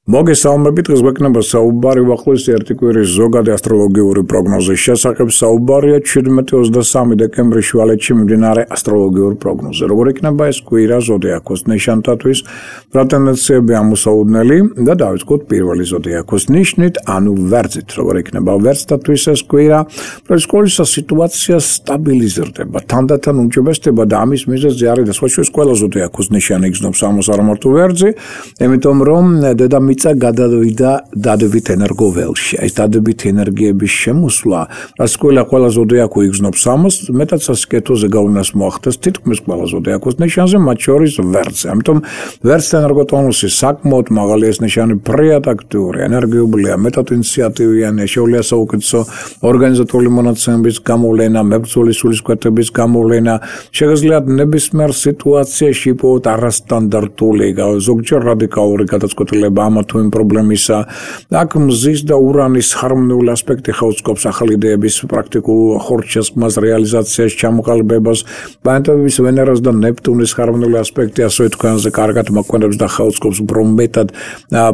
მოგესალმებით, დღეს გვექნება საუბარი ვახლის ერთი კვირის ზოგადი ასტროლოგიური პროგნოზის შესახებ. საუბარია 17-23 დეკემბრის შუალედში მიმდინარე ასტროლოგიურ პროგნოზზე. როგორ იქნება ეს კვირა ზოდიაქოს ნიშანთათვის, რა ტენდენციები ამოსაუდნელი და დავიწყოთ პირველი ზოდიაქოს ნიშნით, ანუ ვერძით. როგორ იქნება ვერძთათვის ეს კვირა? პრესკოლის სიტუაცია სტაბილიზირდება, თანდათან უმჯობესდება და ამის მიზეზი არის დასაშვეს ყველა ზოდიაქოს ნიშანი იგრძნობს ამას არ მარტო ვერძი, იმიტომ რომ დედამიწა გადავიდა დადებით ენერგოველში. ეს დადებით ენერგიების შემოსვლა, რაც ყველა ზოდიაქო იგრძნობს ამას, მეტად სასიკეთოზე გავლენას მოახდენს თითქმის ყველა ზოდიაქოს ნიშანზე, მათ შორის ვერძზე. ამიტომ ვერძთა ენერგოტონუსი საკმაოდ მაღალი, ეს ნიშანი ფრიად აქტიური, ენერგიულია, მეტად ინიციატივიანია, შეუძლია საუკეთესო ორგანიზატორული მონაცემების გამოვლენა, მებრძოლი სულისკვეთების გამოვლენა, შეგიძლიათ ნებისმიერ სიტუაციაში იპოვოთ არასტანდარტული, ზოგჯერ რადიკალური გადაწყვეტილება ამ თუ იმ პრობლემისა. აქ მზის და ურანის ჰარმონიული ასპექტი ხელს ახალი იდეების პრაქტიკულ ხორცშესხმას, რეალიზაციას, ჩამოყალიბებას, პლანეტების ვენერას და ნეპტუნის ჰარმონიული ასპექტი ასევე თქვენზე კარგად მოქმედებს და ხელს უფრო მეტად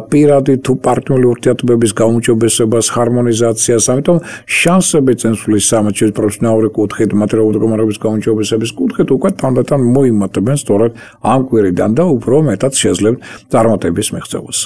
პირადი თუ პარტნიორული ურთიერთობების გაუმჯობესებას, ჰარმონიზაციას, ამიტომ შანსები წინსვლის სამართლის პროფესიონალური კუთხით, მატერიალური მდგომარეობის გაუმჯობესების კუთხით უკვე თანდათან მოიმატებენ სწორედ ამ კვირიდან და უფრო მეტად შეძლებთ წარმატების მიღწევას.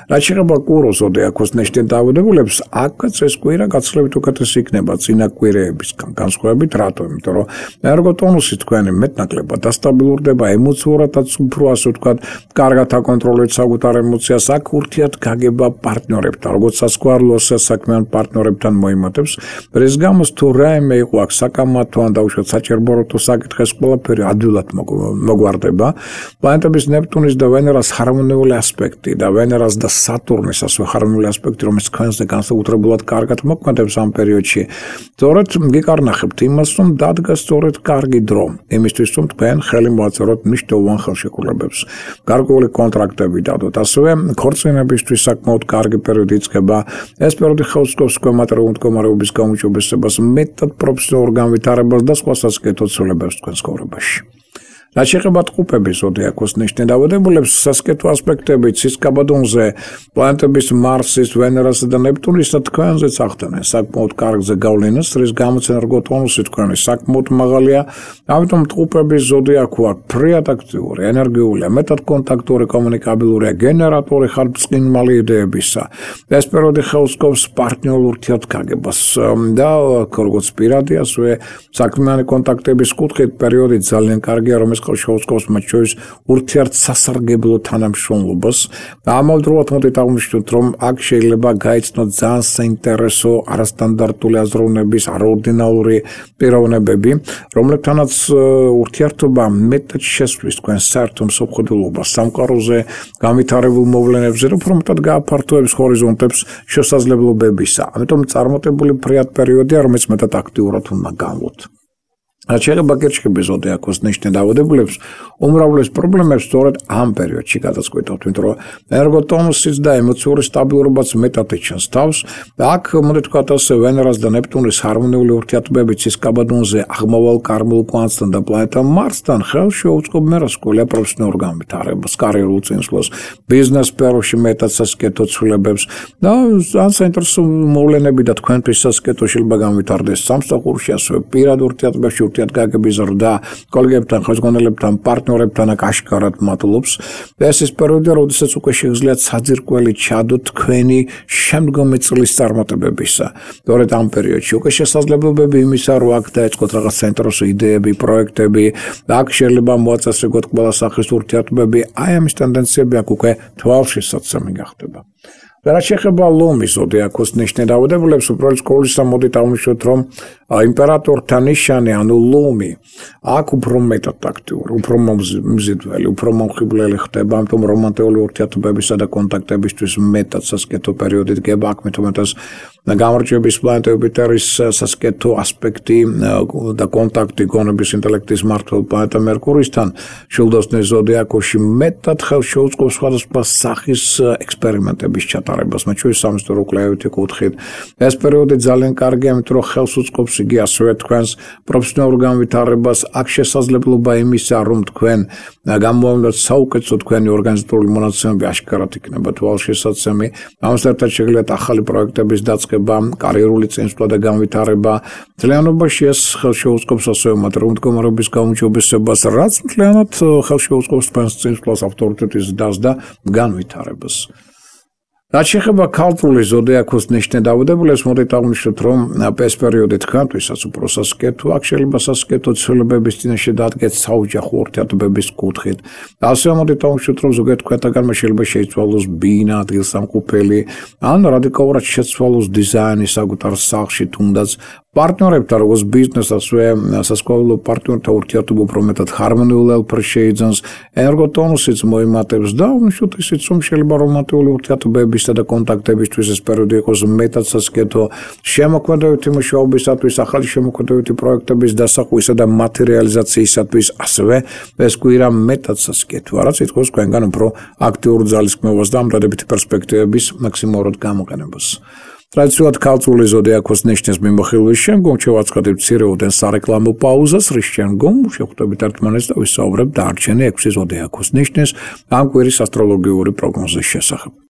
რაც შეეხება კუროს ზოდიაქოს ნიშნით დაავადებულებს, აქაც ეს კვირა გაცილებით უკეთესი იქნება წინა კვირეებისგან განსხვავებით, რატო? იმიტომ რომ ენერგოტონუსი თქვენი მეტნაკლებად დასტაბილურდება, ემოციურადაც უფრო ასე ვთქვათ, კარგად აკონტროლებს საკუთარ ემოციას, აქ ურთიერთგაგება პარტნიორებთან, როგორც სასქვალო საქმიან პარტნიორებთან მოიმატებს. რის გამოც თუ რაიმე იყო აქ საკამათო ან დაუშვათ საჭიროებო საკითხის ყველაფერი ადვილად მოგვარდება. პლანეტების ნეპტუნის და ვენერას ჰარმონიული ასპექტი და ვენერას და სატურნის ასევე ჰარმონიული ასპექტი, რომელიც თქვენზე განსაკუთრებულად კარგად მოქმედებს ამ პერიოდში. სწორედ გიკარნახებთ იმას, რომ დადგა სწორედ კარგი დრო, იმისთვის რომ თქვენ ხელი მოაწეროთ მნიშვნელოვან ხელშეკრულებებს. გარკვეული კონტრაქტები დადოთ, ასევე ქორწინებისთვის საკმაოდ კარგი პერიოდი იწყება. ეს პერიოდი ხელს უწყობს თქვენ მატერიალური მდგომარეობის გაუმჯობესებას, მეტად პროფესიონალურ განვითარებას და სხვა სასიკეთო ცვლილებებს თქვენ ცხოვრებაში. რაც შეეხება ტყუპების ზოდიაქოს ნიშნით დაავადებულებს, სასიკეთო ასპექტები ცისკაბადონზე, პლანეტების მარსის, ვენერასა და ნეპტუნისა თქვენზეც ახდენენ საკმაოდ კარგზე გავლენას, რის გამოც ენერგოტონუსი თქვენი საკმაოდ მაღალია. ამიტომ ტყუპების ზოდიაქო აქ ფრიად აქტიური, ენერგიულია, მეტად კონტაქტური, კომუნიკაბილურია, გენერატორი ხართ წყინმალი იდეებისა. ეს პერიოდი ხელს უწყობს პარტნიორულ ურთიერთგაგებას და როგორც პირადი, ასევე საქმიანი კონტაქტების კუთხით პერიოდი ძალიან კარგია, რომ შეუწყობს მათ შორის ურთიერთსასარგებლო თანამშრომლობას. ამავდროულად მოდით აღვნიშნოთ, რომ აქ შეიძლება გაიცნოთ ძალიან საინტერესო არასტანდარტული აზროვნების, არაორდინალური პიროვნებები, რომლებთანაც ურთიერთობა მეტად შესვლის თქვენ საერთო მსოფლმხედველობას, სამყაროზე განვითარებულ მოვლენებზე, უფრო მეტად გააფართოებს ჰორიზონტებს შესაძლებლობებისა. ამიტომ წარმატებული ფრიად პერიოდია, რომელიც მეტად აქტიურად უნდა განვლოთ. რაც შეეხება კირჩხიბის ზოდიაქოს ნიშნით დაავადებულებს, უმრავლეს პრობლემებს სწორედ ამ პერიოდში გადაწყვეტავთ, იმიტომ რომ ენერგოტონუსიც და ემოციური სტაბილურობაც მეტად იჩენს თავს და აქ მოდით ვთქვათ ასე ვენერას და ნეპტუნის ჰარმონიული ურთიერთობები ცისკაბადონზე, აღმავალ კარმულ კვანტთან და პლანეტა მარსთან ხელს შეუწყობ მერასკოლია პროფესიონალურ განვითარებას, კარიერულ წინსვლას, ბიზნეს სფეროში მეტად სასიკეთო ცვლილებებს და ძალიან საინტერესო მოვლენები და თქვენთვის სასიკეთო შეიძლება განვითარდეს სამსახურში, ასევე პირად ურთიერთობებში გაგების ზრდა, კოლეგებთან, ხელმძღვანელებთან, პარტნიორებთან აქ აშკარად მატლობს. ეს ის პერიოდია, როდესაც უკვე შეგიძლიათ საძირკველი ჩადოთ თქვენი შემდგომი წლის წარმატებებისა. სწორედ ამ პერიოდში უკვე შესაძლებლობები იმისა, რომ აქ დაეწყოთ რაღაც საინტერესო იდეები, პროექტები, და აქ შეიძლება მოაწესრიგოთ ყველა სახის ურთიერთობები. აი ამის ტენდენციები აქ უკვე თვალშისაცემი გახდება. რაც შეეხება ლომის ზოდიაქოს ნიშნით დაავადებულებს, უბრალოდ სკოლისა მოდით აღვნიშნოთ, რომ იმპერატორთა ნიშანი, ანუ ლომი, აქ უფრო მეტად აქტიური, უფრო მომზიდველი, უფრო მომხიბვლელი ხდება, ამიტომ რომანტიკული ურთიერთობებისა და კონტაქტებისთვის მეტად სასიკეთო პერიოდი დგება, აქ მეტად გამარჯვების პლანეტებით არის სასკეთო ასპექტი და კონტაქტი გონების ინტელექტის მმართველ პლანეტა მერკურისთან შილდოსნის ზოდიაქოში მეტად ხელს შეუწყობს სხვადასხვა სახის ექსპერიმენტების ჩატარებას, მათ შორის სამეცნიერო კვლევითი კუთხით. ეს პერიოდი ძალიან კარგია, იმიტომ რომ ხელს უწყობს იგი ასევე თქვენს პროფესიონალურ განვითარებას, აქ შესაძლებლობა იმისა, რომ თქვენ გამოავლინოთ საუკეთესო თქვენი ორგანიზატორული მონაცემები აშკარად იქნება თვალშესაცემი. ამასთან ერთად შეგიძლიათ ახალი პროექტების დაწყება, კარიერული წინსვლა და განვითარება. მთლიანობაში ეს ხელს შეუწყობს ასევე მატერიალური მდგომარეობის გაუმჯობესებას, რაც მთლიანად ხელს შეუწყობს თქვენს წინსვლას, ავტორიტეტის ზრდას და განვითარებას. რაც შეეხება ქალწულის ზოდიაქოს ნიშნე დავუდებულებს, მოდით აღვნიშნოთ, რომ ეს პერიოდი თქვენთვისაც უფრო სასკეთოა, აქ შეიძლება სასკეთო ცვლილებების წინაშე დადგეთ საოჯახო ურთიერთობების კუთხით. ასევე მოდით აღვნიშნოთ, რომ ზოგიერთ თქვენთაგანმა შეიძლება შეიცვალოს ბინა, ადგილსამყოფელი, ან რადიკალურად შეცვალოს დიზაინი საკუთარ სახლში, თუნდაც პარტნიორებთან, როგორც ბიზნესს, ასევე სასკოლო პარტნიორთა ურთიერთობა უფრო მეტად ჰარმონიულ ელფერს შეიძენს, ენერგოტონუსიც მოიმატებს და აღვნიშნოთ ისიც, რომ შეიძლება რომანტიკული ურთიერთობებისა და კონტაქტებისთვის ეს პერიოდი იყოს მეტად სასკეთო, შემოქმედებითი მუშაობისათვის, ახალი შემოქმედებითი პროექტების დასახვისა და მატერიალიზაციისათვის, ასევე ეს კვირა მეტად სასკეთოა, რაც ითხოვს თქვენგან უფრო აქტიურ ძალისხმევას და ამ დადებითი პერსპექტივების მაქსიმალურად გამოყენებას. ტრადიციულად ქალწული ზოდიაქოს ნიშნის მიმოხილვის შემდგომ შევაცხადებ მცირეოდენ სარეკლამო პაუზას, რის შემდგომ შევხვდებით ერთმანეთს და ვისაუბრებთ დარჩენი 6 ზოდიაქოს ნიშნის ამ კვირის ასტროლოგიური პროგნოზის შესახებ.